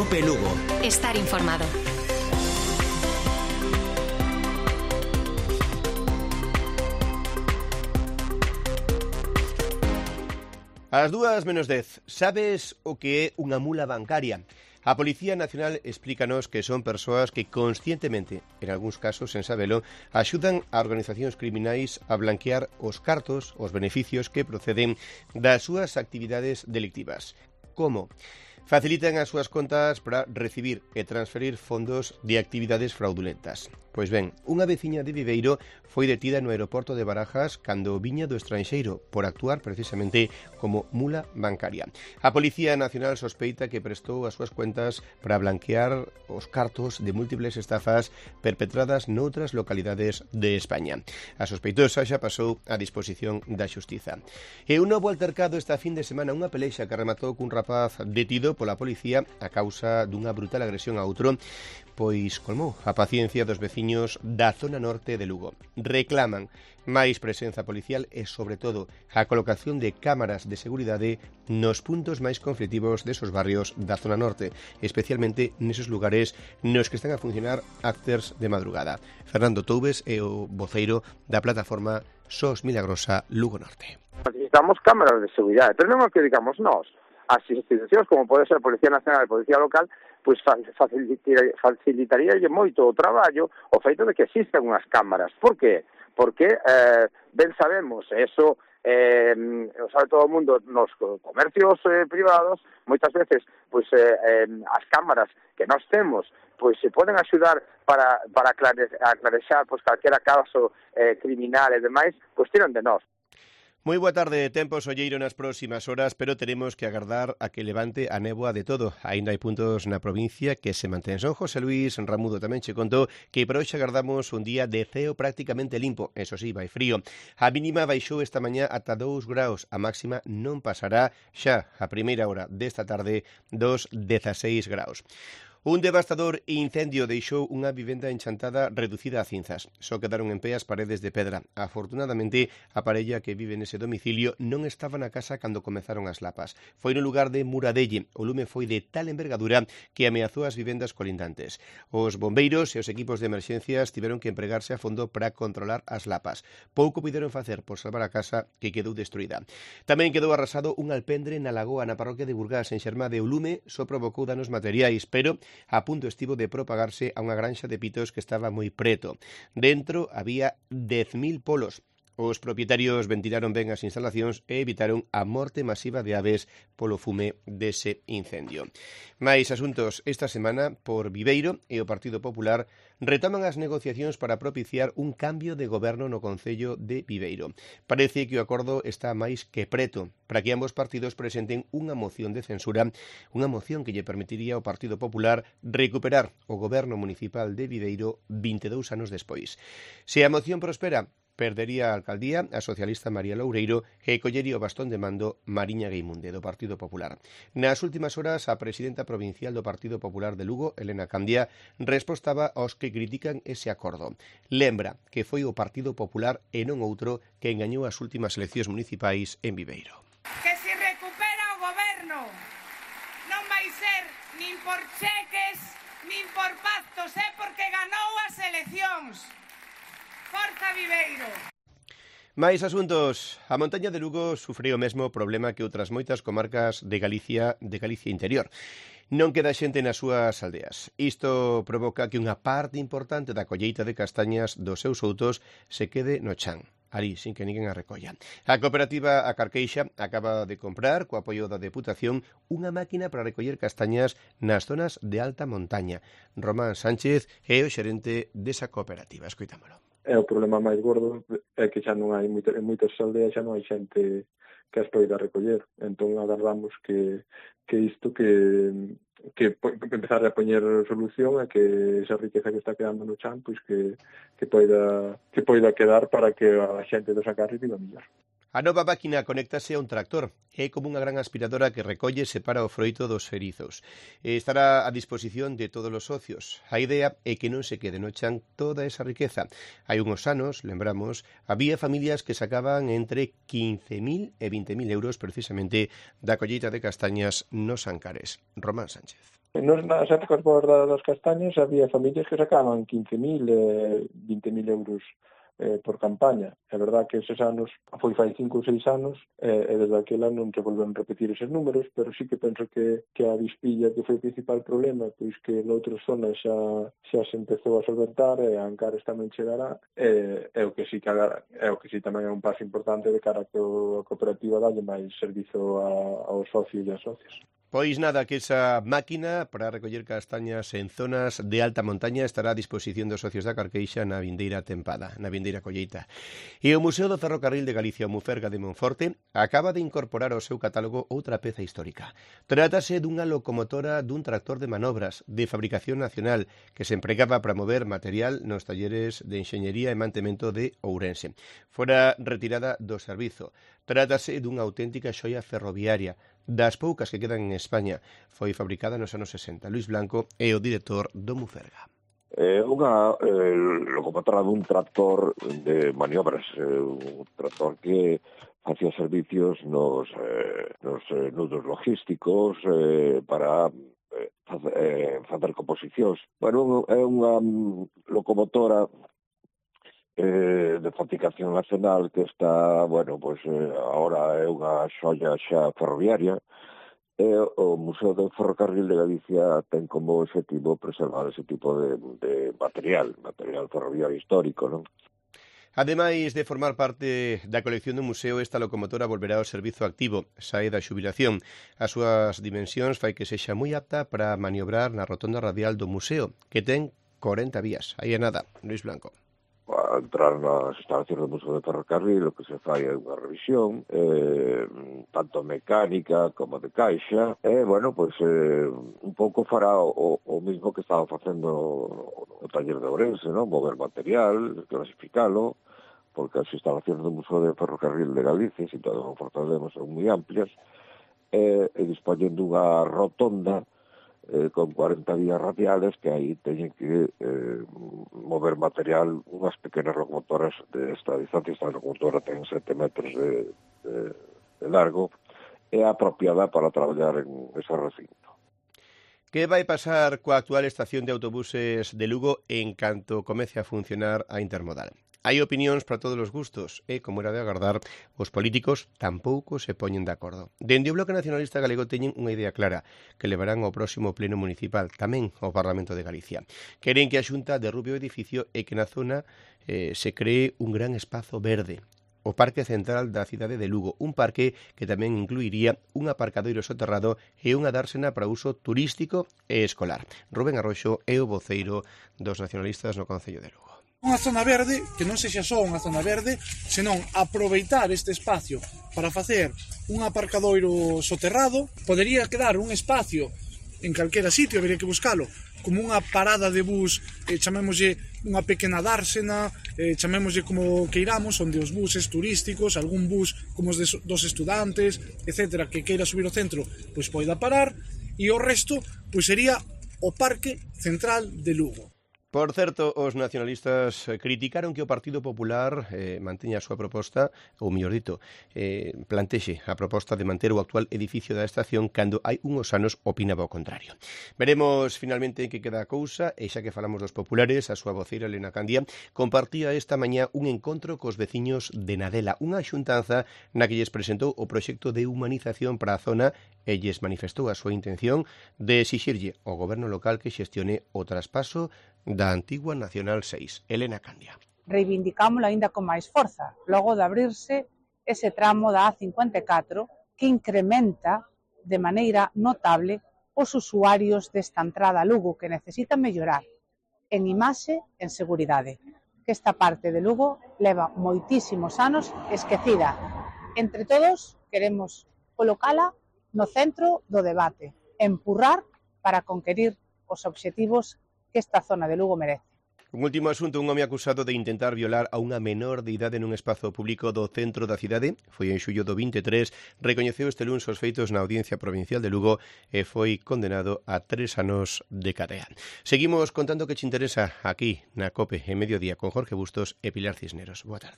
Cope Lugo. Estar informado. Ás 2:10, sabes o que é unha mula bancaria? A Policía Nacional explícanos que son persoas que conscientemente, en algúns casos sen sabelo, axudan a organizacións criminais a blanquear os cartos, os beneficios que proceden das súas actividades delictivas. Como? Facilitan as súas contas para recibir e transferir fondos de actividades fraudulentas. Pois ben, unha veciña de Viveiro foi detida no aeroporto de Barajas cando viña do estranxeiro por actuar precisamente como mula bancaria. A Policía Nacional sospeita que prestou as súas cuentas para blanquear os cartos de múltiples estafas perpetradas noutras localidades de España. A sospeitosa xa pasou a disposición da xustiza. E un novo altercado esta fin de semana, unha pelexa que rematou cun rapaz detido pola policía a causa dunha brutal agresión a outro, pois colmou a paciencia dos veciños da zona norte de Lugo. Reclaman máis presenza policial e, sobre todo, a colocación de cámaras de seguridade nos puntos máis conflitivos desos barrios da zona norte, especialmente nesos lugares nos que están a funcionar acters de madrugada. Fernando Toubes é o voceiro da plataforma SOS Milagrosa Lugo Norte. Necesitamos cámaras de seguridade, pero non o que digamos nós. As institucións, como pode ser a Policía Nacional e a Policía Local, pois facilitaríalle moito o traballo o feito de que existan unhas cámaras. Por qué? Porque ben sabemos, eso o sabe todo o mundo nos comercios privados, moitas veces pois as cámaras que nós temos pois se poden axudar para aclarexar pois calquera caso criminal e demais, pois tiran de nós. Moi boa tarde, tempo solleiro nas próximas horas, pero teremos que agardar a que levante a néboa de todo. Ainda hai puntos na provincia que se mantén. Son José Luís Ramudo tamén che contou que por hoxe agardamos un día de ceo prácticamente limpo. Eso sí, vai frío. A mínima baixou esta mañá ata 2 graus. A máxima non pasará xa a primeira hora desta tarde dos 16 graus. Un devastador incendio deixou unha vivenda enchantada reducida a cinzas. Só quedaron en pé as paredes de pedra. Afortunadamente, a parella que vive nese domicilio non estaba na casa cando comezaron as lapas. Foi no lugar de Muradelle. O lume foi de tal envergadura que ameazou as vivendas colindantes. Os bombeiros e os equipos de emerxencias tiveron que empregarse a fondo para controlar as lapas. Pouco puderon facer por salvar a casa que quedou destruída. Tamén quedou arrasado un alpendre na lagoa na parroquia de Burgás, en Xermade. O lume só provocou danos materiais, pero a punto estivo de propagarse a unha granxa de pitos que estaba moi preto. Dentro había 10.000 polos. Os propietarios ventilaron ben as instalacións e evitaron a morte masiva de aves polo fume dese incendio. Mais asuntos esta semana por Viveiro e o Partido Popular retoman as negociacións para propiciar un cambio de goberno no Concello de Viveiro. Parece que o acordo está máis que preto para que ambos partidos presenten unha moción de censura, unha moción que lle permitiría ao Partido Popular recuperar o goberno municipal de Viveiro 22 anos despois. Se a moción prospera, perdería a alcaldía a socialista María Loureiro e collería o bastón de mando Mariña Gueimunde, do Partido Popular. Nas últimas horas, a presidenta provincial do Partido Popular de Lugo, Elena Candia, respostaba aos que critican ese acordo. Lembra que foi o Partido Popular e non outro que engañou as últimas eleccións municipais en Viveiro. Que se recupera o goberno non vai ser nin por cheques nin por pactos, porque ganou as eleccións. Forza Viveiro! Mais asuntos. A montaña de Lugo sufre o mesmo problema que outras moitas comarcas de Galicia interior. Non queda xente nas súas aldeas. Isto provoca que unha parte importante da colleita de castañas dos seus outos se quede no chan, ali, sin que ninguén a recolla. A cooperativa A Carqueixa acaba de comprar, co apoio da Deputación, unha máquina para recoller castañas nas zonas de alta montaña. Román Sánchez é o xerente desa cooperativa. Escoitámolo. O problema máis gordo é que xa non hai en moitas aldeas xa non hai xente que as poida recoller. Entón agardamos que isto que empezar a poñer solución e que esa riqueza que está quedando no chan pois que poida quedar para que a xente do Sacarri viva mellor. A nova máquina conéctase a un tractor. É como unha gran aspiradora que recolle e separa o froito dos erizos. Estará a disposición de todos os socios. A idea é que non se quede no chan toda esa riqueza. Hai unhos anos, lembramos, había familias que sacaban entre 15.000 e 20.000 euros precisamente da colleita de castañas nos Ancares. Román Sánchez. Nas épocas boas das castañas había familias que sacaban 15.000, 20.000 euros por campaña. É verdad que eses anos, foi fai 5 ou 6 anos, e desde aquel ano non se volven a repetir eses números, pero sí que penso que a avispilla que foi o principal problema, pois que noutras zonas xa se empezou a solventar, e a Ancares tamén chegará, é o que sí tamén é un paso importante de cara a que a cooperativa dalle máis servizo aos socios e ás socias. Pois nada, que esa máquina para recoller castañas en zonas de alta montaña estará a disposición dos socios da Carqueixa na vindeira tempada, na vindeira colleita. E o Museo do Ferrocarril de Galicia, o Muferga de Monforte, acaba de incorporar ao seu catálogo outra peza histórica. Trátase dunha locomotora dun tractor de manobras de fabricación nacional que se empregaba para mover material nos talleres de enxeñería e mantemento de Ourense. Fora retirada do servizo. Trátase dunha auténtica xoia ferroviaria, das poucas que quedan en España. Foi fabricada nos anos 60. Luis Blanco é o director do Muferga. Unha locomotora dun tractor de maniobras, un tractor que facía servicios nos nudos logísticos para facer composicións. Bueno, é unha locomotora de fabricación nacional que está, bueno, pois agora é unha xoia xa ferroviaria, e o Museo do Ferrocarril de Galicia ten como objetivo preservar ese tipo de material ferroviario histórico, non? Ademais de formar parte da colección do museo, esta locomotora volverá ao servizo activo, sae da xubilación. As súas dimensións fai que sexa moi apta para maniobrar na rotonda radial do museo, que ten 40 vías. Aí é nada, Luis Blanco. A entrar nas instalacións do Museo de Ferrocarril, o que se fai é unha revisión, tanto mecánica como de caixa, e, bueno, pois, un pouco fará o mismo que estaba facendo o taller de Ourense, non? Mover material, clasificalo, porque as instalacións do Museo de Ferrocarril de Galicia, se todo o Fortaleza, son moi amplias, e dispoñen dunha rotonda con 40 vías radiales que aí teñen que mover material, unhas pequenas locomotoras de esta distancia. Esta locomotora ten 7 metros de largo, é apropiada para traballar en ese recinto. Que vai pasar coa actual estación de autobuses de Lugo en canto comece a funcionar a intermodal? Hai opinións para todos os gustos e, como era de agardar, os políticos tampouco se poñen de acordo. Dende o Bloque Nacionalista Galego teñen unha idea clara que levarán ao próximo pleno municipal, tamén ao Parlamento de Galicia. Queren que a Xunta derrube o edificio e que na zona se cree un gran espazo verde, o Parque Central da cidade de Lugo, un parque que tamén incluiría un aparcadoiro soterrado e unha dársena para uso turístico e escolar. Rubén Arroxo é o voceiro dos nacionalistas no Concello de Lugo. Unha zona verde, que non sexa só unha zona verde, senón aproveitar este espacio para facer un aparcadoiro soterrado. Podería quedar un espacio en calquera sitio, habería que buscalo, como unha parada de bus, chamémoslle unha pequena dársena, chamémoslle como queiramos, onde os buses turísticos, algún bus como os dos estudantes, etcétera, que queira subir ao centro, pois poida parar, e o resto pois sería o Parque Central de Lugo. Por certo, os nacionalistas criticaron que o Partido Popular manteña a súa proposta, ou mellor dito, plantexe a proposta de manter o actual edificio da estación cando hai unhos anos opinaba o contrario. Veremos finalmente en que queda a cousa, e xa que falamos dos populares, a súa voceira Elena Candia compartía esta mañá un encontro cos veciños de Nadela, unha xuntanza na que lles presentou o proxecto de humanización para a zona e lles manifestou a súa intención de exixirlle ao goberno local que xestione o traspaso da antigua Nacional 6. Elena Candia. Reivindicámoslo aínda con máis forza, logo de abrirse ese tramo da A54 que incrementa de maneira notable os usuarios desta entrada a Lugo que necesitan mellorar en imaxe, en seguridade, que esta parte de Lugo leva moitísimos anos esquecida. Entre todos queremos colocala no centro do debate, empurrar para conquerir os obxectivos que esta zona de Lugo merece. Un último asunto, un home acusado de intentar violar a unha menor de idade nun espazo público do centro da cidade, foi en xullo do 23, recoñeceu este luns os feitos na Audiencia Provincial de Lugo e foi condenado a 3 anos de cadea. Seguimos contando que che interesa aquí na COPE en Mediodía con Jorge Bustos e Pilar Cisneros. Boa tarde.